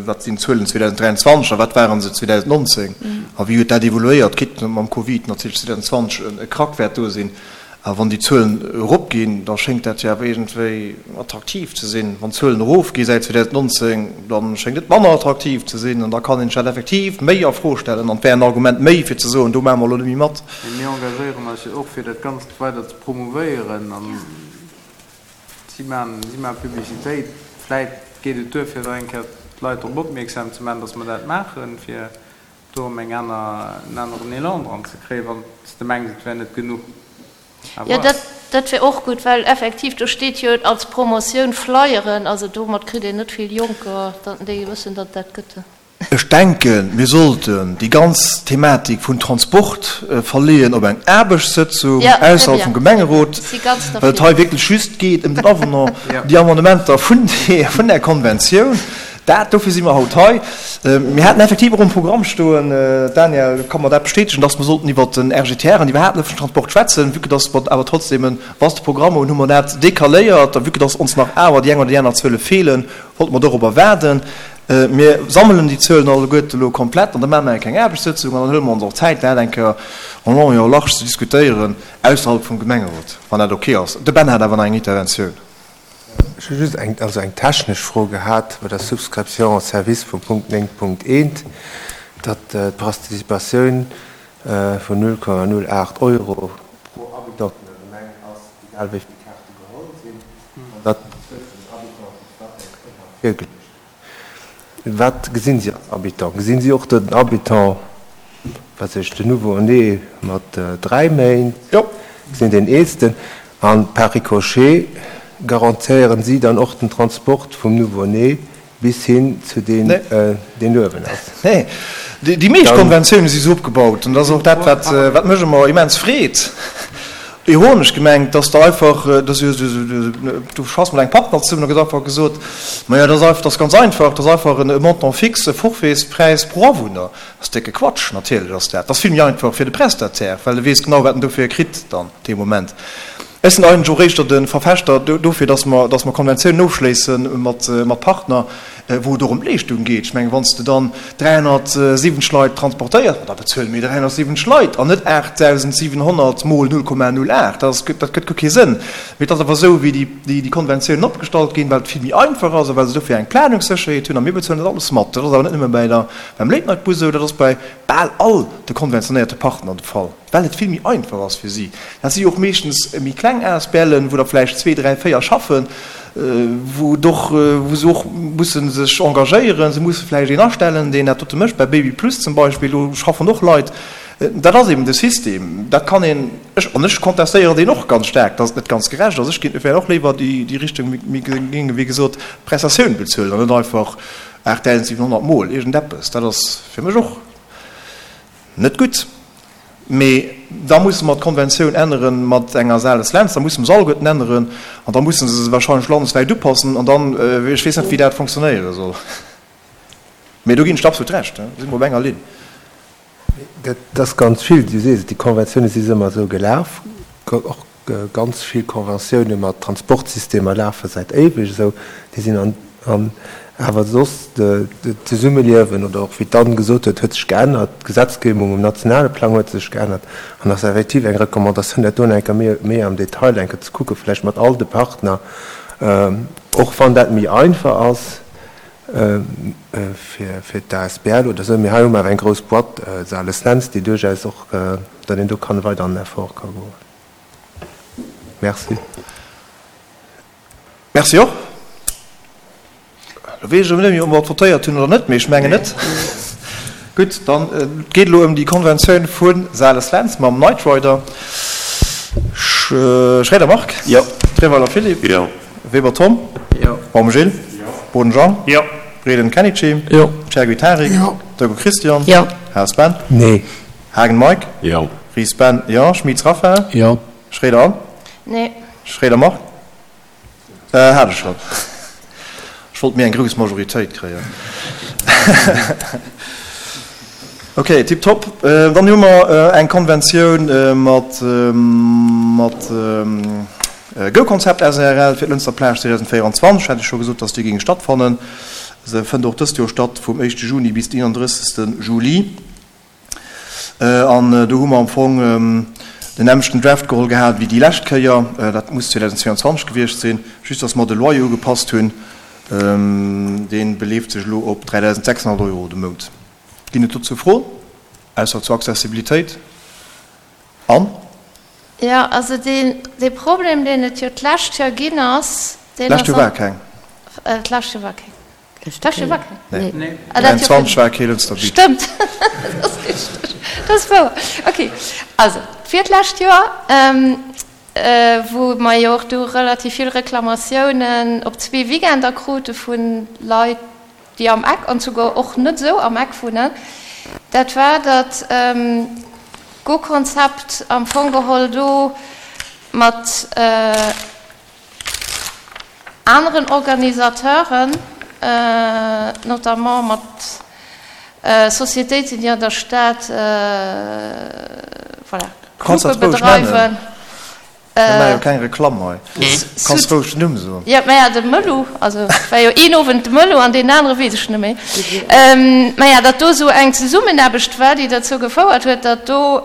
Wat sinn d'Zuelen 2023 a wat ware se 2019 a wéi huet dat evoluéiert, quitte mam Covid natierlech 2020 e Krack wäert do sinn. A wann déi Zuelen eropginn, da schéngt dat jo awer iergendwéi attraktiv ze sinn. Wann d'Zuelen erofgi säit 2019, da schéngt et manner attraktiv ze sinn. An da kann een sech dat effektiv méi a Fro stellen. An et wär en Argument méi, fir ze soen, do maache mer elo net méi mat. Mee mir engagéieren eis jo och, fir dat Ganzt weider ze promouvéieren. A si maachen, si maache Publicitéit. Vläit geet et duer, fir nach eng Kéier d'Leit drop opmierksam ze maachen, dass mer dat maachen, fir do erëm eng aner, en aneren Elan dran ze kréien, wann s de mengs, et wär net genuch. À Jo, voir. dat wär och gutt, well effektiv, do steet jo als Promotioun Flyeren, also domat kritt een net vill Jonker, datt déi wëssen, datt et dat gëtt. Ech denken, mir sollten déi ganz Thematik vun Transport verleeën op eng Aarbechtssëtzung ausserhalb vum Gemengerot, well et hei wierklech just geet ëm den Avenant, déi Amendementer vun där Konventioun. Dat, dofir si mer haut hei. Mir haten effektiv och um Programm stoen, Daniel ka mer dat bestätegen, dass mer sollten iwwert den RGTR an iwwerhaapt den öffentlichen Transport schwätzen. Vue que dass mer awer trotzdem e vaste Programm hunn, hu mer dat decaléiert. A vue que dass ons nach awer déi eng oder déi aner Zuele feelen, wollte mer dorobber waarden. Mir sammelen déi Zuelen alleguerte elo komplett an da maache mer eng kleng Aarbechtssëtzung an dann huele mer ons och Zäit, dat eng Kéier en long et en large ze diskutéieren ausserhalb vum Gemengerot, wann dat ok ass. De Ben hat awer nach eng Interventioun. Ech hu just eng, also eng technesch Fro gehat bei der Subscription en service vum Punkt 9.1, datt d'Participatioun vun 0,08 Euro pro Habitant vun der Gemeng ass, egal wéi vill Kaarte geholl sinn, an datt d'Zuel vun den Habitanten ëmmer virgeluecht gëtt. Wat gesinn si als Habitant? Gesinn si och den Habitant, wat weess ech, den Nouveau-né mat 3 Méint? Gesinn deen Eelsten? An par ricochet garantéieren si dann och den Transport vum Nouveau-né bis hin zu deen, deen uewen ass? Nee. Déi meescht Konventiounen si sou opgebaut, an dat ass och dat, wat mech ëmmer immens freet, ironesch gemengt, dass der einfach, du schaffs mat engem Partner zesummen, da gëtt einfach gesot, majo, dat ass einfach, dat ass ganz einfach, dat ass einfach e Montant fixe, e Forfaitspräis pro Awunner. Dat ass décke Quatsch, natierlech ass dat. Dat ass vill méi einfach fir de Prestataire, well e weess genau, wat en dofir kritt dann dee Moment. Ech sinn eigentlech och éischter de Verfechter dofir, dass mer, dass mer Konventiounen ofschléisse mat, mat Partner, wou et och ëm d'Leeschtung geet. Ech mengen, wann s de dann 370 Leit transportéiers, ma da bezuele mir 370 Leit an net 8.700 mol 0,08. Dat ass, dat gëtt guer kee Sënn. Mee et ass awer esou, wéi déi, déi Konventiounen opgestallt ginn, well et vill méi einfach ass a well se dofir eng Planungssécherheet hunn a mir bezuelen dat alles mat. Dat ass awer net nëmme bäi der, beim Late-Night-Bus esou, dat ass bei bal all de konventionéierte Partner de Fall. Well et vill méi einfach ass fir si. Dat si jo och meeschtens méi kleng ASBLen, wou der vläicht zwee, dräi, véier schaffen, wou et och, wou se och musse sech engagéieren. Se musse vläicht een astellen, deen dat dote mécht. Bei Baby Plus zum Beispill, do schaffen och Leit. Dat ass eben de System. Dat kann een, ech, an ech contestéieren deen och ganz staark, dass et net ganz gerecht ass. Ech géing vläicht och léiwer déi, déi Richtung, mir géinge wéi gesot d'Prestatioun bezuelen an net einfach 8.700 mol iergendeppes. Dat ass fir mech och net gutt. Mee da musse mer d'Konventioun ännere mat enger Sales-Lentz, da musse mer se alleguerten änneren an da musse se se wahrscheinlech landeswäit upassen an dann, ech weess net, wéi dat fonctionnéiere soll. Mee do ginn ech der absolut Recht, do si mer op enger Linn. Dat ass ganz vill, du sees et, déi Konventioune si ëmmer esou gelaf, och Ganz vill Conventioune mat Transportsystemer lafe säit éiweg esou. Déi sinn an, an awer soss d'Zesummeliewen oder och wéi d'Anne gesot huet, huet sech geännert. D'Gesetzgebung um nationale Plang huet sech geännert. An ass effektiv eng Recommandatioun, dat do nach eng Kéier méi, méi am Detail eng Kéier ze kucken, vläicht mat all de Partner. Och wann dat méi einfach ass fir d'ASBL oder esou, mee hei hu mer awer eng grouss Boîte, Sales Lentz, déi duerchaus och, datt een do kann weider an den Effort ka goen. Merci. Merci och. Lo weess ech erëm net méi, ob mer votéiert hunn oder net, mee ech mengen net. Gutt, dann et geet elo ëm déi Konventioun vu Sales Lentz mam Night Rider. Schréider Marc. Jo. Treweiler Philippe. Jo. Weber Tom. Jo. Baum Gilles. Jo. Boden Jean. Jo. Reding Kenichi. Jo. Chergui Tarik. Jo. Dego Christian. Jo. Haas Ben. Nee. Haagen Mike. Jo. Ries Ben. Jo. Schmitz Raphaël. Jo. Schréider Anne. Nee. Schréider Marc. Hat ech schonn. Ech wollt méi eng grouss Majoritéit kréien. Ok, tiptop. Dann hu mer eng Konventioun mat mat GoConcept SARL fir d'Lënster Plage 2024. Hat ech scho gesot, dass déi géing stattfannen. Se fënnt och dëst Joer statt, vum éischte Juni bis den 31. Juli. An do hu mer am Fong den nämmlechten Draft geholl gehat wéi déi lescht Kéier, dat muss 2022 gewiescht sinn, just datt mer de Loyer ugepasst hunn. Dee beleeft sech elo op 3.600 Euro de Mount. Ginn et dozou Froen, ausser zur Accessibilitéit? Anne? Jo, also dee Problem, deen et jo d'lescht Joer ginn ass, deen ass. D'lescht Joer war keng. D'lescht Joer war keng. D'lescht war keng. Nee. 23 war kee Lënster Beach. Stëmmt, dat ass richteg. Dat ass wouer. Ok, also d'virlescht Joer, wou mer jo och du relativ vill Reklamatiounen op zwee Weekender krute vu Leit, déi am Eck an souguer och net esou am Eck wunnen, dat war, datt d'Go-Konzept am Fong geholl do mat, Aneren Organisateuren, notamment mat Societéiten, déi an der Stad, voilà, Clube bedreiwen. Mir maache jo keng Reklamm hei. Kanns roueg den Numm soen. Jo, maja, de Mëllu, also et war jo een Owend de Mëllu an deen anere weess ech net méi. Maja, datt do esou eng Zesummenaarbecht war, déi derzou gefouert huet, datt do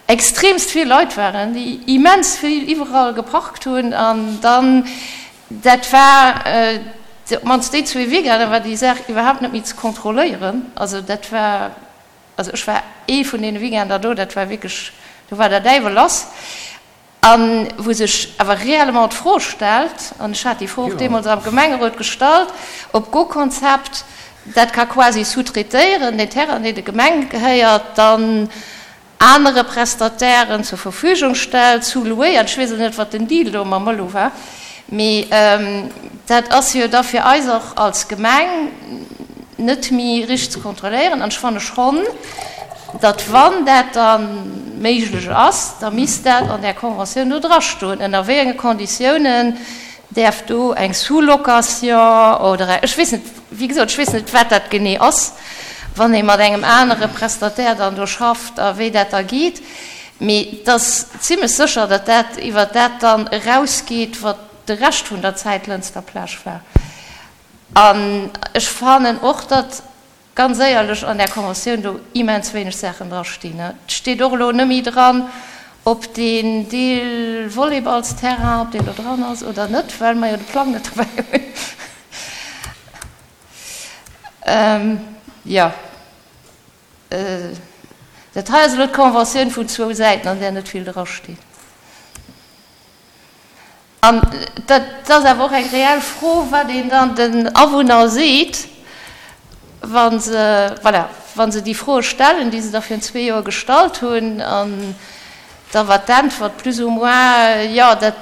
extremst vill Leit waren, déi immens vill iwwerall geparkt hunn an dann, dat war op d'mannst déi zwee Weekender war déi Saach iwwerhaapt net méi ze kontrolléieren. Also dat war, also ech war ee vun deene Weekender do, dat war wierklech, do war der Däiwel lass. A wou sech awer réellement d'Fro stellt, an ech hat déi Fro och deemools am Gemengerot gestallt, ob GoConcept dat ka quasi sous-traitéieren, deen Terrain, deen der Gemeng gehéiert, dann anere Prestatairen zur Verfügung stellt, sous-louéiert. Ech weess elo net, wat den Deal do mam Mëllu war, mee dat ass jo da fir eis och als Gemeng net méi richteg ze kontrolléieren. An ech fanne schonn, datt wann dat da méiglech ass, da misst dat an där Conventioun do drastoen, ënner wéi enge Konditiounen däerf do eng Sous-location oder ech weess net, wéi gesot, ech weess net, wat dat genee ass, wann ee mat engem anere Prestataire dann do schafft a wéi dat da geet. Mee et ass zimlech sécher, datt dat iwwert dat dann erausgeet, wat de Rescht vun der Zäit Lënster Plage war. An ech fannen och, datt ganz éierlech an där Conventioun do immens wéineg Saachen drastinn. Et steet och elo net méi dran, ob deen Deel Volleyballsterrain, ob deen do dran ass oder net, well mer jo de Plang net dobäi hunn. Jo, dat hei ass elo d'Conventioun vun zwou Säiten, an där net vill drasteet. An dat ass awer och eng reell Fro, wat een dann den Awunner seet, wa se, voilà, wa se déi Froe stellen, déi se da virun zwee Joer gestallt hunn. An da war d'Äntwert plus ou moins, jo, dat,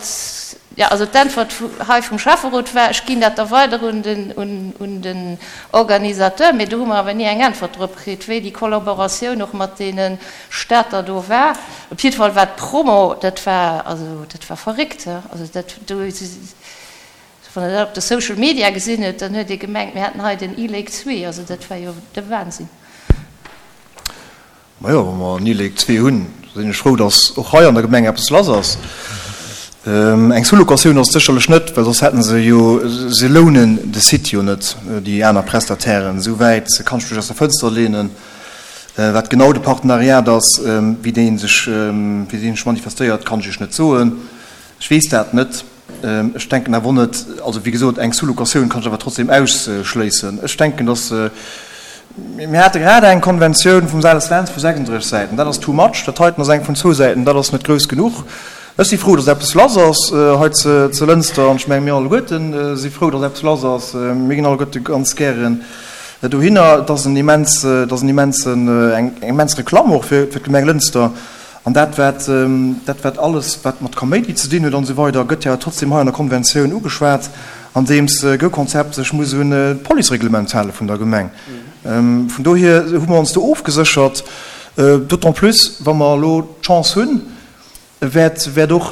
jo, also d'Äntwert hei vum Schäfferot war, ech ginn dat da weider un den, un den Organisateur. Mee do hu mer awer ni eng Äntwert drop kritt, wéi déi Kollaboratioun och mat deene Stater do war. Op jidde Fall war d'Promo, dat war, also dat war verréckt, he. Also dat do, wann Der dat op de Social Media gesinn huet, dann huet ee gemengt, mir hätten hei den E-Lake 2. Also dat war jo de Wahnsinn. Majo, wa mer en E-Lake 2 hunn, da sinn ech frou, datt och hei an der Gemeng eppes lass ass. Eng Sous-locatioun ass et sécherlech net, well soss hätte se jo, se lounen de Site jo net, déi aner Prestatairen. Esou wäit kann ech mech aus der Fënster leenen. Wat genau de Partenariat ass, wéi dee sech, wéi dee sech manifestéiert, kann ech Iech net soen. Ech weess dat net. Ech denken awer och net, also wéi gesot, eng Sous-locatioun kann ech awer trotzdem ausschléissen. Ech denken, dass, mir hate grad eng Konventioun vum Sales Lentz vu 36 Säiten, dat ass too much. Dat heiten ass eng vun zwou Säiten, dat ass net grouss genuch. Ech si frou, dass eppes lass ass hei zu Lënster an ech menge mir alleguerte si frou, dass eppes lass ass. Mir ginn alleguerte ganz gären dohinner. Et ass en immens, et ass en immensen, eng immens Reklamm och fir d'Gemeng Lënster. An dat wat, dat wat alles wat mat Kaméidi ze dinn huet an esou weider, gëtt jo trotzdem hei an der Konventioun ugeschwat, andeems GoConcept sech muss un d'Policereglement hale vun der Gemeng. Vun dohier hu mer ons do ofgeséchert, d'autant plus wa mer elo d'Chance hunn, wäert wäert och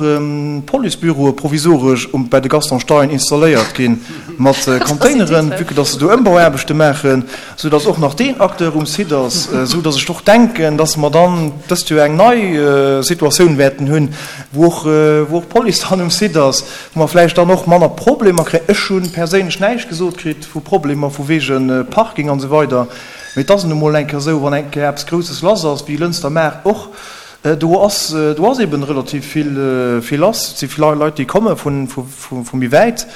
Policebüroe provisoresch um bei de Gaston Stein installéiert gi mat Containeren, vue que dass se do Ëmbauaarbechte maachen, sou dass och nach deen Acteur um Site ass, sou dass ech och denken, dass mer dann dëst Joer eng nei Situatioun wäerten hunn, wou och wou och d'Police dann um Site ass, wou mer vläicht dann och manner Problemer kréien. Ech hu perséinlech näischt gesot kritt vu Problemer vu wege Parking an esou weider, mee et ass nun emol eng Kéier esou, wann eng Kéier eppes Grousses lass ass, wéi Lënster Maart och, Do ass, do ass eben relativ vill, vill lass. Et si vill Leit, déi komme vu méi wäit.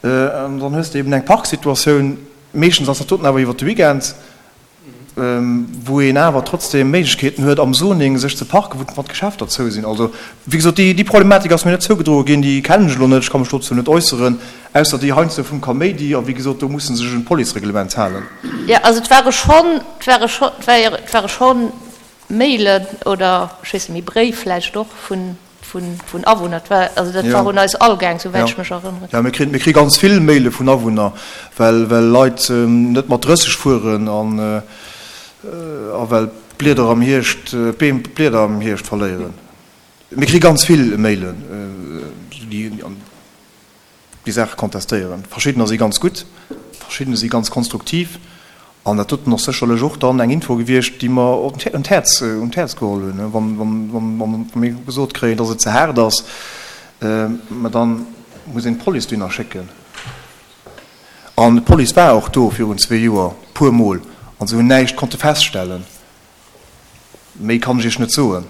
An dann hues de eben eng Parksituatioun. Meeschtens ass dat doten awer iwwer de Weekend, wou een awer trotzdem Méiglechkeeten huet, am Zoning sech ze parken, wou wann d'Geschäfter zou sinn. Also, wéi gesot, déi, déi Problematik ass mir net zougedroe ginn, déi kennen ech elo net. Ech ka mech dozou net äusseren, ausser déi heiansdo vum Kaméidi. A wéi gesot, do musse se sech un d'Policereglement halen. Jo, also et ware schonn, et ware schonn, et ware schonn Mailen oder, ech weess net méi, Bréif vläicht och vun, vun, vun Awunner. Et war, also dat war un eis all gaang, souwäit ech mech erënneren. Jo, mir kréien, mir kréie ganz vill Maile vun Awunner, well, well Leit net mat 30 fueren an, a well d'Blieder am Hierscht, d'Beem d'Blieder am Hierscht verléieren. Mir kréie ganz vill Mailen, déi an. déi Saache kontestéieren. Verschiddener si ganz gutt, verschiddener si ganz konstruktiv an dat doten ass sécherlech och dann eng Info gewiescht, déi mer un d'Häerz, un d'Häerz geholl hunn. Wann, wann, wann mir gesot kréien, dass et ze haart ass, mä da muss een d'Police dohinner schécken. An d'Police war och do virun zwee Joer, puermol, an se hunn näischt konnte feststellen. Méi kann ech Iech net soen.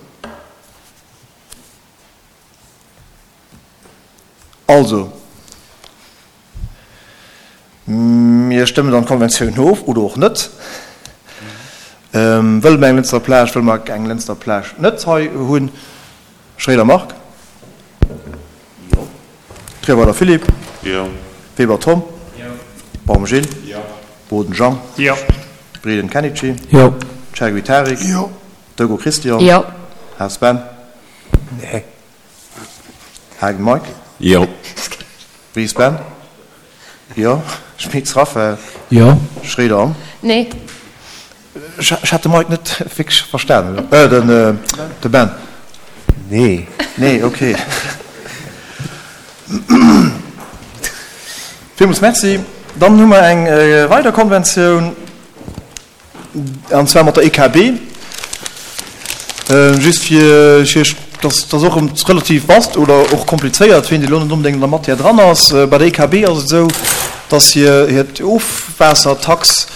Also, mir stëmmen dann d'Konventioun of oder och net. Wëlle mer eng Lënster Plage, wëlle mer eng Lënster Plage net hei hunn? Schréider Marc? Jo. Trierweiler Philippe? Jo. Weber Tom? Jo. Baum Gilles? Jo. Boden Jean? Jo. Breden Kenichi? Jo. Chergui Tarik? Jo. Dego Christian? Jo. Haas Ben? Nee. Haagen Mike? Jo. Ries Ben? Jo. Schmitz Raphael? Jo. Schréider Anne? Nee. Ech hat de Mike net wierklech verstanen. Äh, den, de Ben. Nee. Nee, okay. Villmools Merci. Dann hu mer eng weider Konventioun. An zwar mat der EKB. Just fir Iech, dat ass och relativ vast oder och komplizéiert, wien elo net onbedéngt an der Matière dran ass. Bei der EKB ass et esou, dass hir hiert Ofwaassertax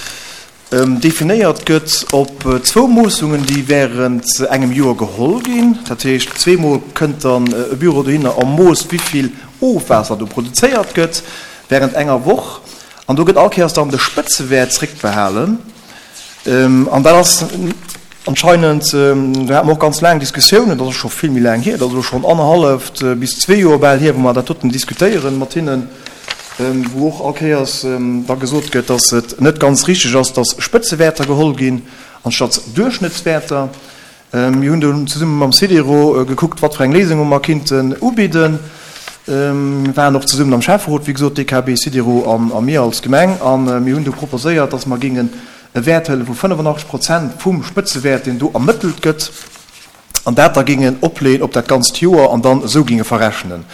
definéiert gëtt op zwou Moossungen, déi während engem Joer geholl ginn. Dat heescht, zweemol kënnt dann e Büro dohinner a moosst, wéi vill Ofwaasser do produzéiert gëtt während enger Woch. An do gëtt all Kéiers dann de Spëtzewäert zréckbehalen. An dat ass anscheinend, do hate mer och ganz laang Diskussiounen, dat ass scho vill méi laang hier, dat ass elo schonn annerhalleft bis zwee Joer bal hier, wou mer dat doten diskutéieren mat hinnen, wou och all Kéiers da gesot gëtt, dass et net ganz richtig ass, dass Spëtzewäerter geholl ginn anstatt Duerchschnëttswäerter. Mir hunn dunn zesumme mam Cedero gekuckt, wat fir eng Léisunge mer kinnten ubidden. Mir waren och zesummen am Schäfferot, wéi gesot, DKB, Cedero a mir als Gemeng. A mir hunn du proposéiert, dass mer géingen e Wäert huele vu 85 Prozent vum Spëtzewäert, deen do ermëttelt gëtt, an dat da géingen opleeën op dat ganzt Joer an dann esou géinge verrechnen.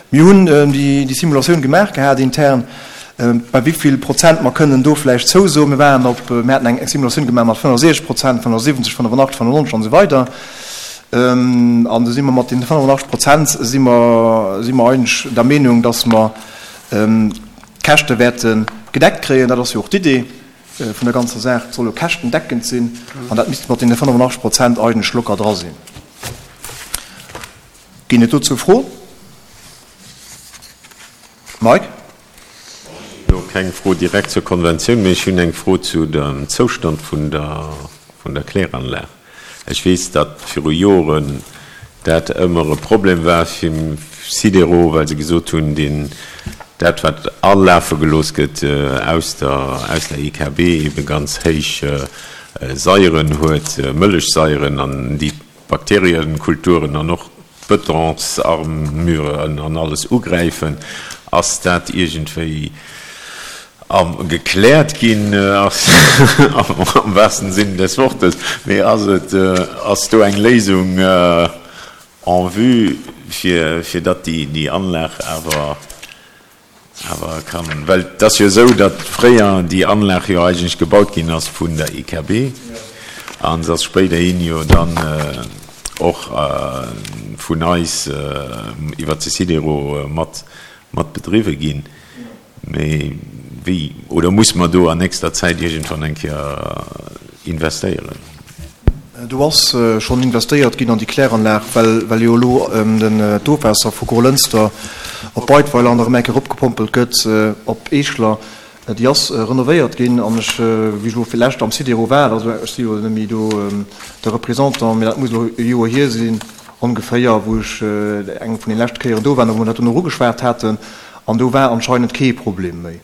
Mir hunn déi Simulatioun gemaach gehat intern, bei wéi vill Prozent mer kënnen do vläicht zousoen. Mir waren op, mir haten eng Simulatioun gemaach mat 65 Prozent, 75, 85, 95 an esou weider. An do si mer mat deene 85 Prozent si mer, si mer eigentlech der Meenung, dass mer d'Käschte wäerte gedeckt kréien. Dat ass jo och d'Idee vun der ganzer Saach. Et soll jo käschtendeckend sinn an dat misst mat deene 85 Prozent eigentlech locker dra sinn. Ginn et dozou Froen? Mike? Ech hunn elo keng Fro direkt zur Konventioun, mee ech hunn eng Fro zu dem Zoustand vun der, vun der Kläranlag. Ech weess, datt viru Joren dat ëmmer e Problem war fir Sidero, well se gesot hunn, deen, dat wat alafe gelooss gëtt aus der, aus der EKB, ebe ganz héich Saieren huet, Mëllechsaieren, an déi d'Bakterienkulturen an och d'Betonsarmuren an alles ugräifen. Ass dat iergendwéi gekläert ginn, am wahrsten Sinn des Wortes, mee ass et, ass do eng Léisung en vue, fir, fir datt déi Anlag awer Awer kann, well et ass jo esou, datt fréier déi Anlag jo eigentlech gebaut ginn ass vun der EKB a se ass spéiderhin jo dann och vun eis iwwert de Sidero mat mat bedriwwe ginn. Mee wéi, oder muss mer do an nächster Zäit iergendwann eng Kéier investéieren? Do ass schonn investéiert ginn an déi Kläranlag, well jo elo d'Ofwaasser vu Grolënster op Beidweiler an erëm eng Kéier eropgepompelt gëtt op Eeschler. Déi ass renovéiert ginn an ech, wéi ech elo fir d'lescht am Sidero war, also ech si jo net méi do de Représentant, mee dat muss elo e Joer hier sinn ongeféier, wou ech eng vun den leschte Kéieren do war, wou mer dat do nach ugeschwat haten an do war anscheinend kee Problem méi.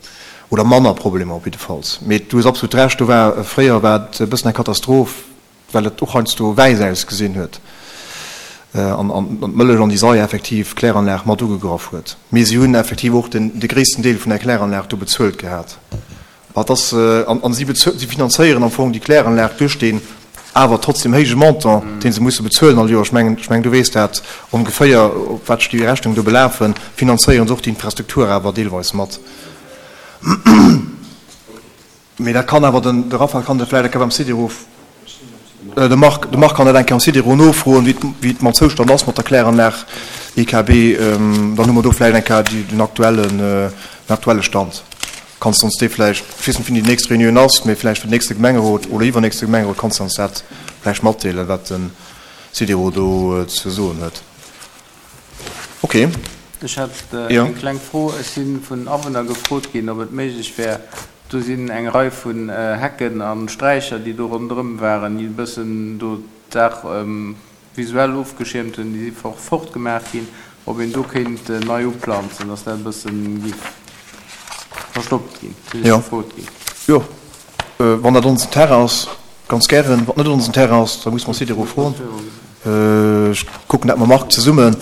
Oder manner Problemer op jiddefalls. Mee du hues absolut Recht, do war, fréier war et e bëssen eng Katastroph, well et och heiansdo wäiss ausgesinn huet an d'Mëllech an déi Saier effektiv d'Kläranlag mat ugegraff huet. Mee si hunn effektiv och den, de gréissten Deel vun der Kläranlag do bezuelt gehat. Wat ass, an si si finanzéieren am Fong déi Kläranlag duerch deen awer trotzdem héije Montant, dee se musse bezuelen all Joer, ech mengen, ech mengen, du weess dat ongeféier, op wat sech déi Rechnungen do belafen, finanzéieren se och déi Infrastruktur awer deelweis mat. Mee dat kann awer den, de Raphael kann dat vläicht eng Kéier beim Sidero, de Marc, de Marc kann dat eng Kéier am Sidero nofroen, wéi et, wéi et mam Zoustand ass mat der Kläranlag EKB. Dann hu mer do vläicht eng Kéier déi, den aktuellen, den aktuelle Stand. Kanns de ons dee vläicht, ech weess net wéini déi nächst Reunioun ass, mee vläicht fir den nächste Gemengerot oder iwwernächste Gemengerot kanns de ons dat vläicht matdeelen, wat de Sidero do ze soen huet. Ok. Ech hätt eng kleng Fro. Ech si vun Awunner gefrot ginn, ob et méiglech wär, do sinn eng Rei vun Hecken a Sträicher, déi do ronderëm waren, déi e bëssen do d'Saach visuell ofgeschiermt hunn, déi si fortgemaach ginn, ob een do kéint nei uplanzen, dass dat e bësse giff verstoppt ginn, sinn ech gefrot ginn. Jo, wann dat onsen Terrain ass, ganz gären. Wann et net onsen Terrain ass, da musse mer Sidero froen. Ech kucken dat mam Marc zesummen,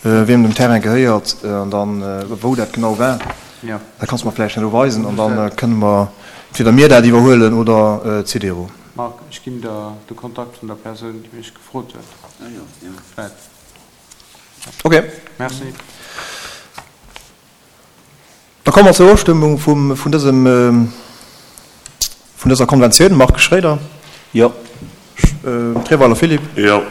wiem den Terrain gehéiert an dann wou dat genau war. Dat kanns de mer vläicht elo weisen an da kënne mer entweder mir dat iwwerhuelen oder d'Sidero. Marc, ech ginn der de Kontakt vun der Persoun, déi mech gefrot huet. Vläit. Ok. Merci. Da komme mer zur Ofstëmmung vum, vun dësem, vun dëser Konventioun. Marc Schroeder? Jo. Treweiler Philippe? Jo.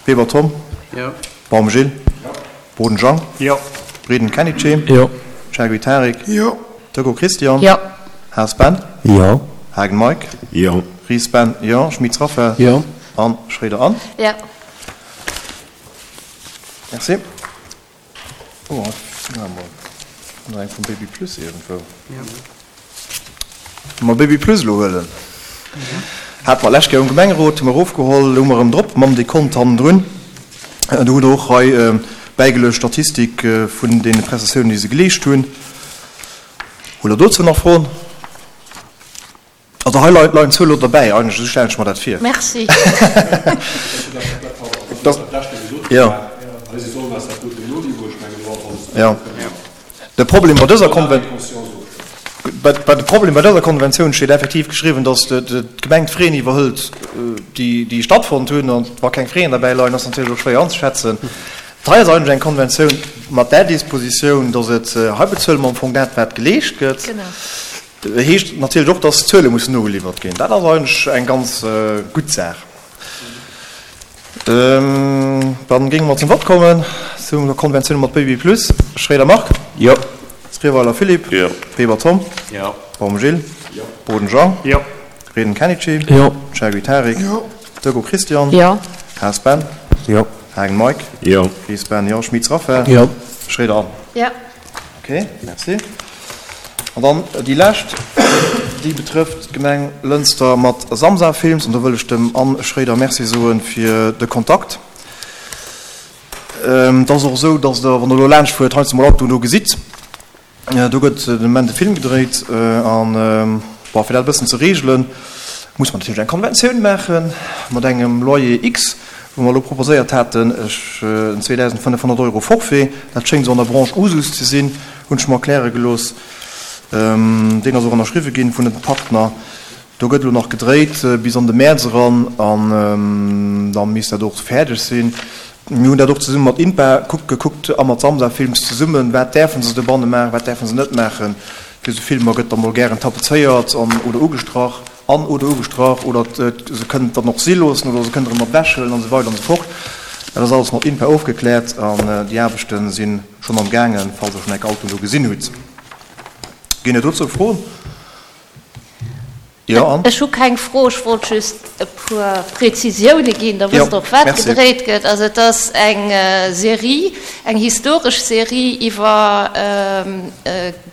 Weber Tom? Jo. Baum Gilles? Jo. Boden Jean? Jo. Breden Kenichi? Jo. Chergui Tarik? Jo. Decaux Christian? Jo. Haas Ben? Jo. Haagen Mike? Jo. Ries Ben? Jo. Schmitz Raphaël? Jo. An Schroeder Anne? Jo. Merci. Oh, na mol. Nach eng vum Baby Plus iergendwou. Wa mer Baby Plus elo huelen, hate mer d'lescht Kéier um Gemengerot, hu mer erofgeholl, elo hu mer erëm drop mam Dekont hannendrun. Do hutt Der och hei bäigeluecht d'Statistik vun deene Prestatiounen, déi se geleescht hunn. Hutt Der dozou nach Froen? Also hei leien d'Zuele lo derbäi, eigentlech, esou stellen ech mer dat vir. Merci. Jo. De Problem bei dëser Konven, bei de Problem bei dëser Konventioun steet effektiv geschriwwen, datt d'Gemeng d'Fraisen iwwerhëlt, déi, déi stattfonnt hunn. An wa keng Frais derbäi leien, ass natierlech och schwéier anzeschätzen. Hei ass eigentlech eng Konventioun mat där Dispositioun, datt et, hei bezuele mer am Fong dat, wat geleescht gëtt. Heescht natierlech och, dass d'Zuele mussen nogeliwwert ginn. Dat ass eigentlech eng ganz gutt Saach. Dann géinge mer zum Vott kommen, zu der Konventioun mat Baby Plus. Schroeder Marc. Jo. Trierweiler Philippe. Jo. Weber Tom. Jo. Baum Gilles. Jo. Boden Jean. Jo. Reden Kenichi. Jo. Chergui Tarik. Jo. Decaux Christian. Jo. Haas Ben. Jo. Haagen Mike. Jo. Ries Ben. Jo. Schmitz Raphaël. Jo. Schroeder Anne. Jo. Ok. Ok, merci. An dann déi lescht, déi betrëfft d'Gemeng Lënster mat Samsa Films. An do wëll ech dem Anne Schroeder Merci soe fir de Kontakt. Et ass och esou, datt Der, wann Der elo laanscht fuert, heiansdo mol Autoen do gesitt. Do gëtt den Moment e Film gedréit an, bon, fir dat e bëssen ze reegelen, muss mer natierlech eng Konventioun maache mat engem Loyer X, wou mer elo proposéiert haten, ech, en 2.500 Euro Forfait, dat schéngt esou an der Branche Usus ze sinn, hunn ech mer erkläre gelooss. Deen ass och ënnerschriwwe ginn vun de Partner. Do gëtt elo nach gedréit bis an de Mäerz eran an da misst dat och fäerdeg sinn. Mir hunn dat och zesumme mat INPA gekuckt a mat Samsa Films zesummen, wat däerfe se dobanne maachen, wat däerfe se net maachen. Fir esou Filmer gëtt da mol gären tapezéiert an oder ugestrach an oder ugestrach oder se kënnen et dann och si loossen oder se kënnen erëm mat ewechhuelen an esou weider an esou fort. Dat ass alles mat INPA ofgekläert an déi Aarbechte si schonn am gaangen, falls der schonn enk Autoen do gesinn hutt. Ginn et dozou Froen? Jo, an? Ech hu keng Fro, ech wollt just e puer Prezisioune ginn, da wësst Der och, wat gedréit gëtt. Also et ass eng Serie, eng historesch Serie iwwer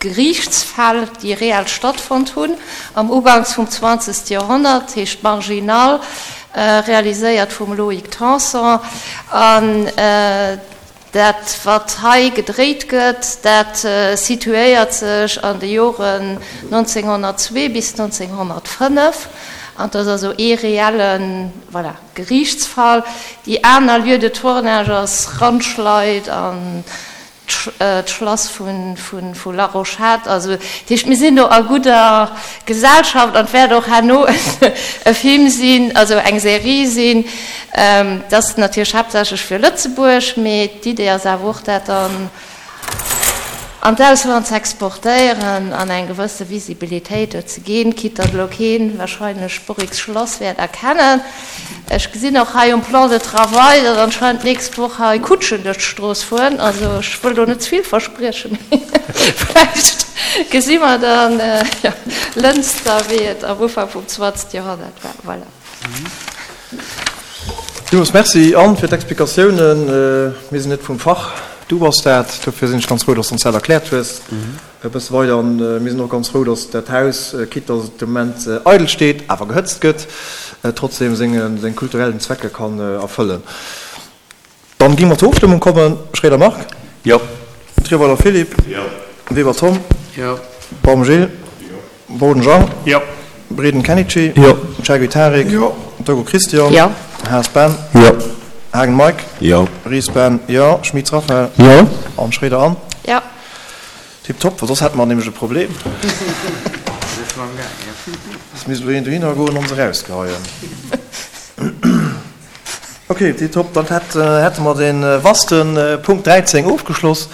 Geriichtsfäll, déi reell stattfonnt hunn am Uganks vum zwanzegste Joerhonnert, heescht Marginal, realiséiert vum Loïc Tanson. An Dat, wat hei gedréit gëtt, dat situéiert sech an de Joren 1902 bis 1905, an et ass also ee reelle, voilà, Geriichtsfall. Déi aner Lieu de tournage ass Randschleid an d'Schlass vu La Rochette. Also, dat heescht, mir sinn do a gudder Gesellschaft an et wäert och herno e Film sinn, also eng Serie sinn, Dat ass natierlech haaptsächlech fir Lëtzebuerg, mee d'Idee ass awer och, dat dann an d'Ausland ze exportéieren an eng gewësse Visibilitéit do ze ginn, quitte datt elo keen wahrscheinlech d'Borrix Schlass wäert erkennen. Ech gesinn och hei um Plan de travail, datt anscheinend d'nächst Woch hei Kutschen duerch d'Strooss fueren. Also ech wëll do net ze vill verspriechen, mee vläicht gesi mer dann Lënster, wéi et am Ufank vum 20. Joerhonnert war. Voilà. Villmools Merci, Anne, fir d'Explikatiounen. Mir sinn net vum Fach, du bass dat. Dofir sinn ech ganz frou, dass de ons dat erkläert hues e bësse weider. An mir sinn och ganz frou, dass dat Haus, quitte dass et de Moment eidel steet, awer gehëtzt gëtt, trotzdem seng kulturellen Zwecke kann erfëllen. Dann gi mer zur Ofstëmmung kommen. Schroeder Marc. Jo. Trierweiler Philippe. Jo. Weber Tom. Jo. Baum Gilles. Jo. Boden Jean. Jo. Breden Kenichi. Jo. Chaguy Tarik. Jo. Togo Christian. Jo. Haas Ben. Jo. Haagen Mike. Jo. Ries Ben. Jo. Schmitz Raphaël. Jo. An Schroeder Anne. Jo. Tiptop, well soss hätte mer nämlech e Problem. Soss misst elo een dohinner goen an se erausgeheien. Ok, tiptop, dann hätte mer de vaste Punkt 13 ofgeschloss.